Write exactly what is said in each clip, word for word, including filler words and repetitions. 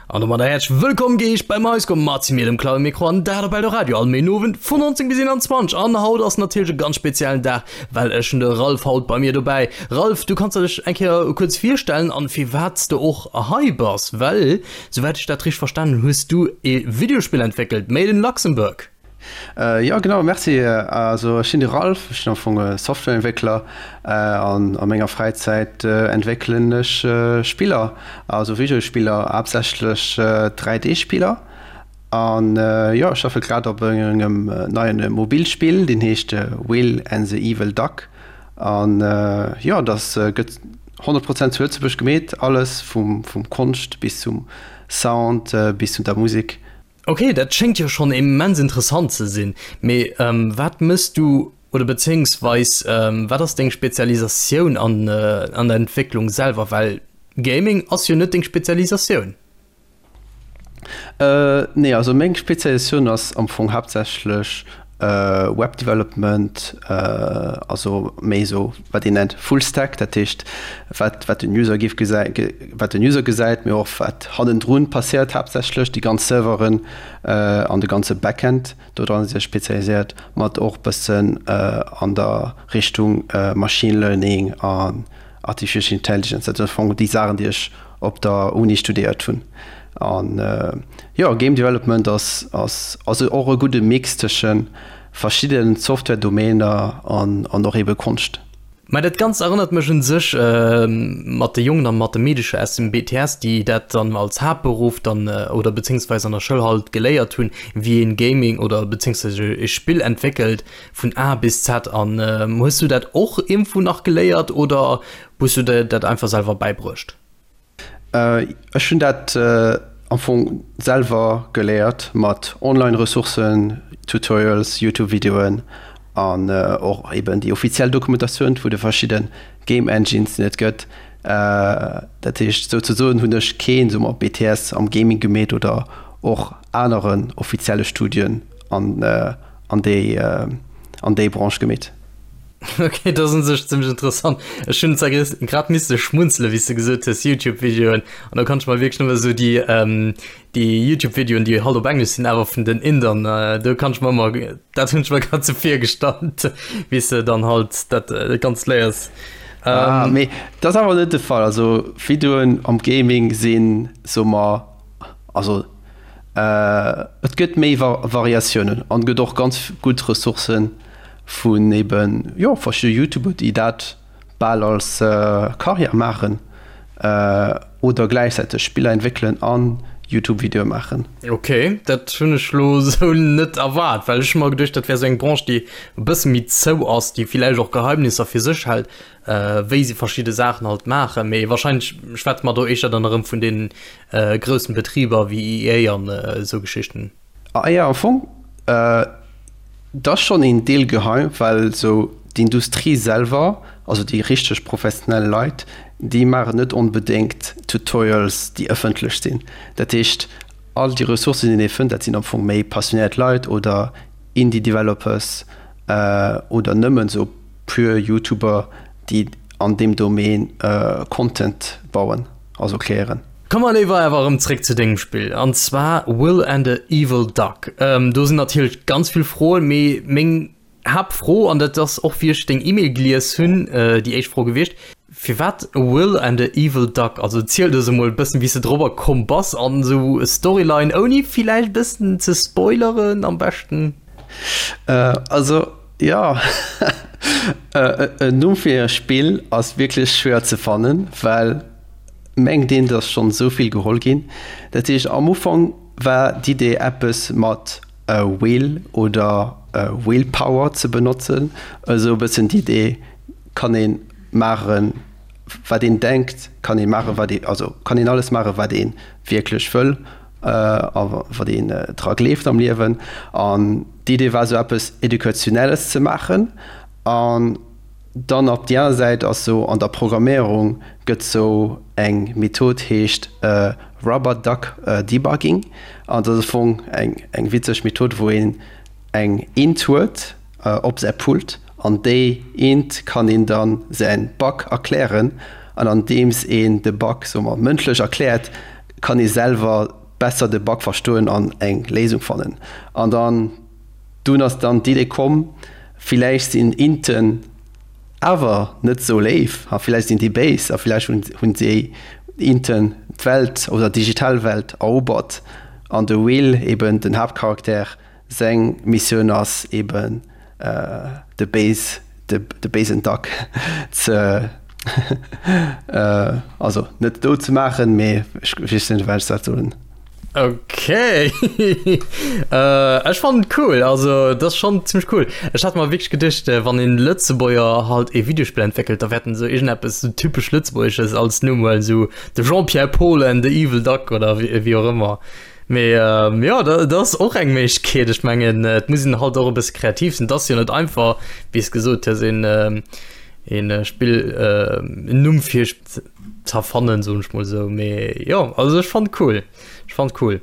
An domadder häerzlech wëllkomm geheescht beim Highscore mat mir, dem Claude Micro an dat op Eldoradio all Méinowend vun neunzéng bis eenanzwanzeg. An haut ass natierlech e ganz speziellen Dag, well ech hunn de Ralph haut bei mir dobäi. Ralph, du kanns dech eng Kéier kuerz virstellen an firwat s de och hei bass, well souwäit ech dat richteg verstanen hunn, hues du e Videospill entwéckelt, Made in Luxembourg. Jo genau, merci. Also ech sinn de Ralph, ech sinn am Fong e Softwareentwéckler an a menger Fräizäit entwéckelen ech Spiller, also Videospiller, haaptsächlech dräi D Spiller. An jo, ech schaffe grad op engem neien Mobilspill, deen heescht Will and the Evil Duck. An jo, dat gëtt honnert Prozent zu Lëtzebuerg gemeet, alles vum Konscht bis zum Sound bis zu der Musek. Ok, dat schéngt jo schonn immens interessant ze sinn. Mee wat mëss du oder bezéiungsweis wat ass deng Spezialisatioun an der Entwécklung selwer? Well Gaming ass jo net deng Spezialisatioun. Nee, also meng Spezialisatioun ass am Fong haaptsächlech Web Development, also méi esou wat een nennt Full Stack, dat heescht wat wat den User géif gesäi wat den User gesäit, mee och wat hannendrun passéiert haaptsächlech, déi ganz Serveren an de ganze Backend, do dran si ech spezialiséiert, mat och bëssen an der Richtung Machine Learning an Artificial Intelligence, dat sinn am Fong déi Saachen déi ech op der Uni studéiert hunn. An jo, Game Development ass ass also och e gudde Mix tësche verschidde Software-Domainer an an och ebe Konscht. Mä dat Ganzt erënnert mech un sech mat de Jongen a mat de Meedecher aus dem B T S, déi dat dann als Haaptberuff dann oder bezéiungsweis an der Schoul halt geléiert hunn, wéi een Gaming oder bezéiungsweis e Spill entwéckelt vun A bis Z. An hues du dat och iergendwou nach geléiert oder hues du der dat einfach selwer bäibruecht? Ech hunn dat am Fong selwer geléiert mat Online-Ressourcen, Tutorials, YouTube-Videoen an och eben déi offiziell Dokumentatioun vu de verschidde Game Engines, déi et gëtt. Dat heescht, souzesoen hunn ech keen, soe mer, B T S am Gaming gemeet oder och aneren offizielle Studien an an déi an déi Branche gemeet. Ok, dat ass un sech zimmlech interessant. Ech hunn zwar grad misse schmunzele wéi s de gesot hues YouTube-Videoen an do kann ech mer wierklech nëmme sou déi déi YouTube-Videoen, déi halt op Englesch sinn, awer vun den Indern, do kann ech mer ëmmer, dat hunn ech mer grad sou virgestallt, wéi s de dann halt dat Ganzt léiers. Ah, mee dat ass awer net de Fall. Also Videoen am Gaming sinn, soe mer, also et gëtt méi Variatiounen an et gëtt och ganz gutt Ressourcen vun eben, jo, verschidde Youtuber, déi dat bal als Karriär maachen oder gläichzäiteg Spiller entwéckelen an Youtube-Videoe maachen. Ok, dat hunn ech lo sou net erwaart, well ech hu mer geduecht, dat wär sou eng Branche, déi e bësse méi zou ass, déi villäicht och Geheimnisser fir sech hält, wéi se verschidde Saachen halt maachen. Mee warscheinlech schwätze mer do éischter dann erëm vun deenen groussen Betriber wéi E A an esou Geschichten. Ah jo, am Fong, et ass schonn een Deel geheim, well esou d'Industrie selwer, also déi richteg professionell Leit, déi maachen net onbedéngt Tutorials, déi ëffentlech sinn. Dat heescht, all déi Ressourcen, déi ee fënnt, dat sinn am Fong méi passionéiert Leit oder Indie-Developers oder nëmmen esou pur Youtuber, déi an deem Domaine Content bauen, also kreéieren. Komme mer léiwer awer erëm zréck zu dengem Spill, an zwar Will and the Evil Duck. Do sinn natierlech ganz vill Froen, mee meng Haaptfro, an dat ass och wéi ech deng E-Mail gelies hunn, déi éischt Fro gewiescht, Firwat Will and the Evil Duck? Also ziel eis emol e bëssen, wéi s de dorobber komm bass an esou Storyline, ouni villäicht e bëssen ze spoileren am beschten. Also jo, en Numm fir e Spill ass wierklech schwéier ze fannen, well mengt een, et ass schonn esou vill geholl ginn. Dat heescht, am Ufank war d'Idee eppes mat Will oder Willpower ze benotzen, esou e bëssen d'Idee, kann ee maachen, wat een denkt, kann ee maachen, wat ee, also kann een alles maachen, wat ee wierklech wëll a wat een dra gleeft am Liewen. An d'Idee war esou eppes Educationelles ze maachen an Dann op déi aner Säit ass sou an der Programméierung gëtt sou eng Method heescht Rubber Duck Debugging an dat ass am Fong eng eng witzeg Method wou een eng Int huet op säi Pult an déi Int kann een dann säin Bug erklären an andeems een de Bug soe mer mëndlech erkläert kann ee selwer besser de Bug verstoen an eng Léisung fannen. An dann dunn ass dann d'Idee komm, villäicht sinn Inten awer net sou léif a villäicht sinn déi béis a villäicht hunn hunn déi Inten d'Welt oder d'digital Welt erobert an de Will, eben den Haaptcharakter, seng Missioun ass eben de béis de béisen Duck ze also net dout ze maachen, mee ech weess net wéi ech dat soen. Ok ech fannen et cool, also dat ass schonn zimmlech cool. Ech hat mer wierklech geduecht wann een Lëtzebuerger halt ee Videospill entwéckelt, da wäert en esou iergendeppes esou typesch Lëtzebuergesches als Numm huelen, esou de Jean-Pierre Paul and the Evil Duck oder wéi och ëmmer. Mee jo, dat ass och eng Méiglechkeet. Ech mengen, et muss een halt och e bësse kreativ sinn. Et ass jo net einfach, wéi s gesot hues, een een Spill en Numm fir ze erfannen, soen ech mol esou. Mee jo, also ech fannen et cool. Ech fannen et cool.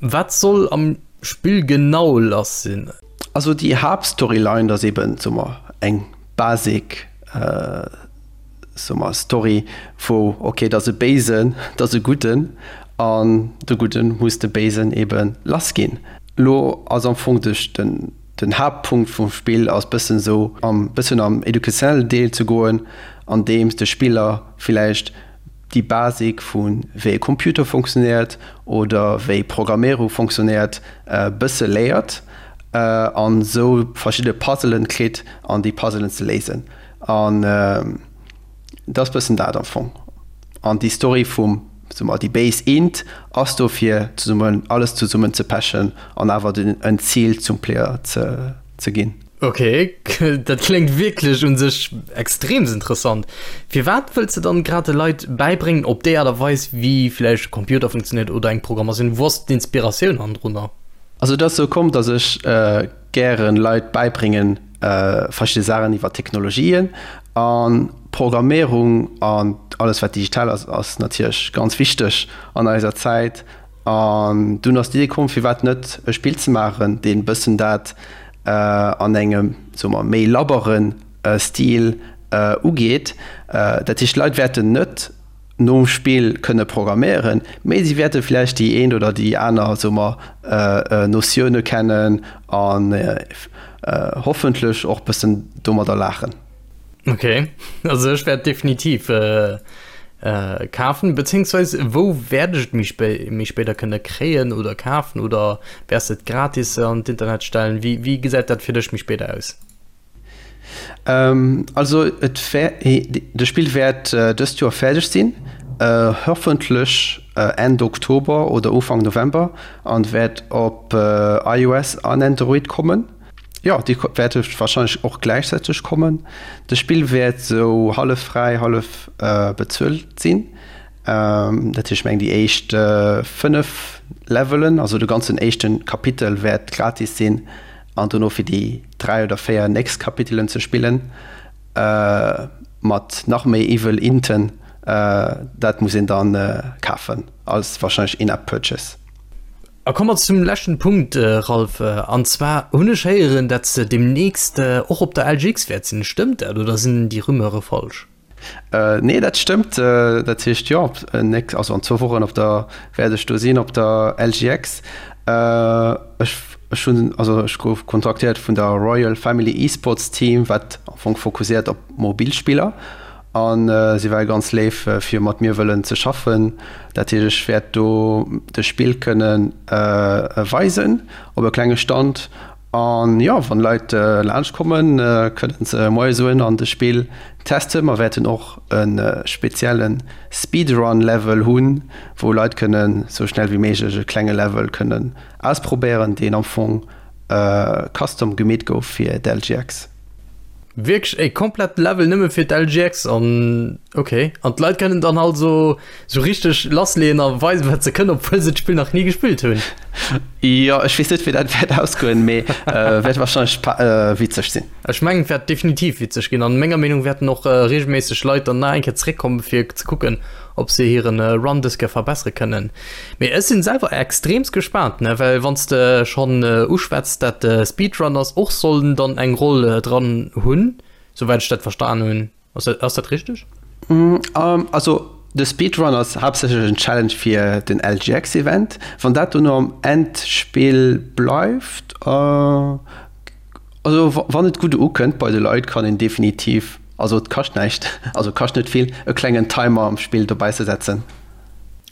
Wat soll am Spill genau lass sinn? Also déi Haaptstoryline, dat ass eben, soe mer, eng basic soe mer, Story wou, ok, et ass e Béisen, et ass e Gudden an de Gudden muss de Béisen ebe lass ginn. Lo ass am Fong de den Haaptpunkt vum Spill ass bëssen esou am bëssen am educationellen Deel ze goen, andeems de Spiller villäicht déi Basic vu wéi e Computer funktionéiert oder wéi Programméierung funktionéiert bësse léiert an esou verschidde Puzzelen kritt an déi Puzzelen ze léisen. An et ass bëssen dat am Fong. An déi Story vum, soe mer, déi béis Int ass do fir zesummen alles zesummen ze pechen an awer den en Zil zum Player ze ze ginn. Ok, dat kléngt wierklech un sech extreems interessant. Firwat wëlls de dann grad de Leit bäibréngen op déi Aart a Weis wéi vläicht e Computer funktionéiert oder eng Programmatioun? Wou ass d'Inspiratioun hannendrunner? Also et ass sou komm, dass ech gären Leit bäibréngen verschidde Saachen iwwer Technologien an Programméierung an alles wat digital ass, ass natierlech ganz wichteg an eiser Zäit. An dunn ass d'Idee komm, firwat net e Spill ze maachen, deen bëssen dat an engem, soe mer, méi labbere Stil ugeet. Dat heescht, d'Leit wäerten net nom Spill kënne programméieren, mee si wäerte vläicht déi eent oder déi aner, soe mer, Notioune kennen an hoffentlech och bëssen domadder laachen. Ok, also ech wäert definitiv kafen, beziehungsweise wou wäert ech et méi spé méi spéider kënne kréien oder kafen oder wäers de et gratis an d'Internet stellen? Wéi wéi gesäit dat fir dech méi spéider aus? Also et wär de Spill wäert dëst Joer fäerdeg sinn, hoffentlech Enn Oktober oder Ufank November an wäert op iOS an Android kommen. Jo, déi wäerte warscheinlech och gläichzäiteg kommen. De Spill wäert sou hallef fräi, hallef bezuelt sinn. Dat heescht, ech mengen déi éischt fënnef Levelen, also de ganzen éischte Kapitel wäert gratis sinn an dono fir déi dräi oder véier nächst Kapitelen ze spillen, mat nach méi Evil Inten, dat muss een dann kafen als warscheinlech In-App Purchase. A komme mer zum leschten Punkt, Ralph, an zwar hunn ech héieren, dat s de demnächst och op der L G X wäert sinn. Stëmmt dat oder sinn déi Rumeure falsch? Nee, dat stëmmt. Dat heescht, jo, also an zwou Wochen op der wäert ech do sinn op der L G X. Ech ech hunn, also ech gouf kontaktéiert vun der Royal Family Esports Team, wat am Fong fokusséiert op mobil Spiller. An si ware ganz léif fir mat mir wëllen ze schaffen. Dat heescht, ech wäert do de Spill kënne weisen op e klenge Stand. An jo, wann Leit laanscht kommen, kënnen se Moie soen an de Spill testen. Mer wäerten och e spezielle Speedrun-Level hunn, wou Leit kënnen sou schnell wéi méiglech e klenge Level kënnen ausprobéieren, deen am Fong custom gemeet gouf fir d'L G X. Wierklech e komplette Level nëmme fir d'L G X an ok. An d'Leit kënnen dann also sou richteg lassleeën a weisen wat se kënnen, obwuel se d'Spill nach ni gespillt hunn. Jo, ech weess net wéi dat wäert ausgoen, mee wäert wahrscheinlech witzeg sinn. Ech mengen et wäert definitiv witzeg ginn an menger Meenung wäerten och regelméisseg Leit dann nach eng Kéier zeréckkommen fir ze kucken ob se hiren Run dës Kéier verbessere kënnen. Mee ech sinn selwer extreemst gespaant, ne, well wann s de schonn uschwätz dat de Speedrunners och sollen dann eng Roll dran hunn, souwäit ech dat verstan hunn. Ass dat, ass dat richteg? Also De Speedrun ass haaptsächlech en Challenge fir den L G X Event. Wann dat dono am Endspill bleift, also wann et gutt ukënnt bei de Leit, kann een definitiv, also et kascht näischt, also kascht net vill, e klengen Timer am Spill dobäi ze setzen.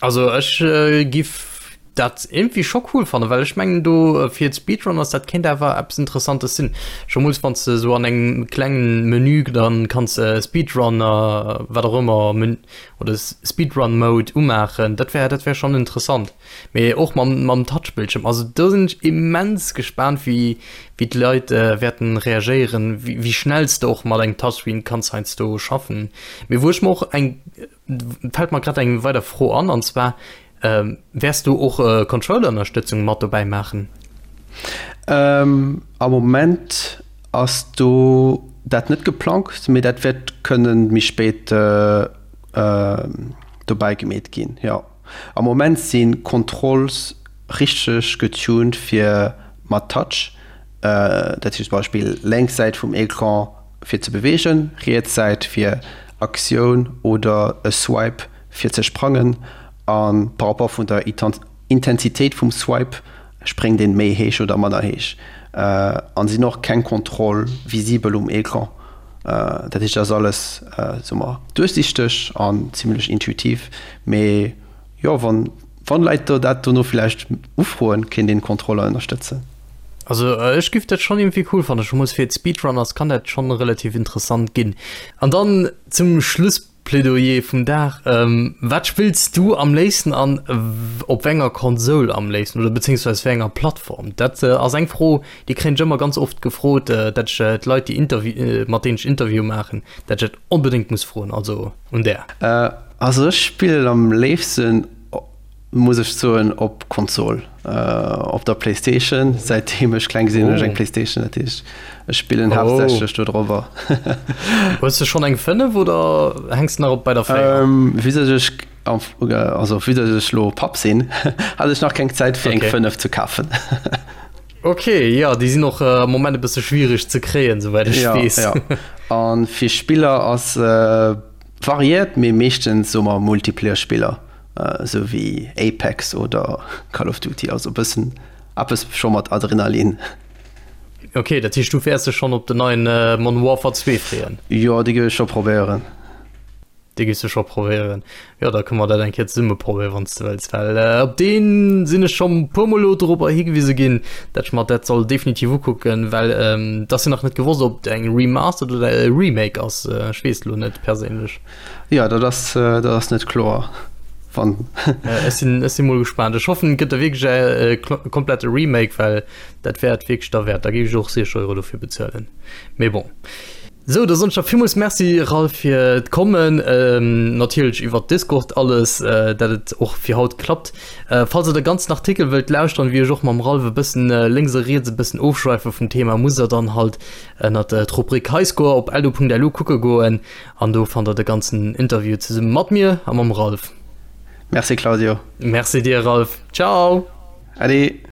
Also ech giff dat irgendwie scho cool fannen, well ech mengen do fir d'Speedrunners, dat kéint awer eppes Interessantes sinn. Schomools wann s de sou an engem klengen Menü dann kanns Speedrunner wat och ëmmer Men oder Speedrun Mode umaachen, dat wär dat wär schonn interessant. Mee och mam mam Touchbildschirm, also do sinn ech immens gespaant wéi wéi d'Leit wäerten reagéieren, wéi wéi schnell s de och mat engem Touchscreen kanns heiansdo schaffen. Mee wou ech mer och eng fält mer grad eng weider Fro an, an zwar Ähm, wäers du och äh, Controller-Ënnerstëtzung mat dobäi maachen? Ähm, am Moment ass do dat net geplangt, mee dat wäert kënnen méi spéit äh, äh, dobäi gemeet ginn. Ja. Am Moment sinn Controls richteg getuned fir mat Touch. Äh, dat heescht zum Beispill lénks Säit vum Ecran fir ze beweegen, riets Säit fir Aktioun oder e Swipe fir ze sprangen. A par rapport vun der Intensitéit vum Swipe spréngt een méi héich oder manner héich. An sinn och keng Kontroll visibel um Ecran. Dat heescht, dat ass alles, soe mer, duerchsichteg an zimlech intuitiv. Mee jo, wann wann Leit do dat dono villäicht ufroen, kéint een Kontroller ënnerstëtzen. Also ech giff dat schonn iergendwéi cool fannen, scho mol fir d'Speedrunners kann dat schonn relativ interessant ginn. An dann zum Schluss Plädoyer vum Dag, Wat spills du am léifsten an op wéi enger Konsol am léifsten oder bezéiungsweis wéi enger Plattform? Dat ass eng Fro, déi kréien ech ëmmer ganz oft gefrot, dat ech d'Leit, déi Interview, mat deenen ech Interviewe maachen, dat ech dat onbedéngt muss froen. Also un där. Also ech spillen am léifsten muss ech soen op Konsol, op der Playstation. Säitdeem ech kleng sinn hunn ech eng Playstation, dat heescht ech spillen haaptsächlech do drobber. Hues de schonn eng fënnef oder hänks de nach op bei der véier? Vue dass ech also vue dass ech lo Papp sinn, hat ech nach keng Zäit fir eng fënnef ze kafen. Ok, jo déi sinn och am Moment e bësse schwiereg ze kréien, souwäit ech weess. Jo, jo. A fir Spiller ass variéiert, mee meeschtens soe mer Multiplayer-Spiller. Esou wéi Apex oder Call of Duty, also e bëssen eppes scho mat Adrenalin. Ok, dat heescht du wäers dech schonn op den neien Modern Warfare zwee freeën? Jo, dee géif ech scho probéieren. Dee géifs du scho probéieren. Jo, da kënne mer dat eng Kéier zesumme probéieren, wann s de wëlls, well op dee sinn ech scho puer mol elo dorobber higewise ginn, dat ech mer dat soll definitiv ukucken, well et ass jo nach net gewosst, ob et eng Remastered oder e Remake ass. Ech weess et elo net perséinlech. Jo, dat ass, dat ass net kloer. Wann. Ech sinn, ech sinn mol gespaant. Ech hoffen, et gëtt da wierklech e komplette Remake, well dat wär et wierklech derwäert. Da géif ech och siwzeg Euro dofir bezuelen. Mee bon. Sou, da soen ech der villmools Merci, Ralph, fir d'Kommen. Natierlech iwwert Discord alles, dat et och fir haut klappt. Falls der de ganzen Artikel wëllt lauschteren, wéi ech och mam Ralph e bëssen lénks a riets e bëssen ofschwäife vum Thema, musst der dann halt ënnert d'Rubrik Highscore op eldo.lu kucke goen. An do fannt der de ganzen Interview zesumme mat mir a mam Ralph. Merci Claudio. Merci dir Ralph. Ciao. Ade.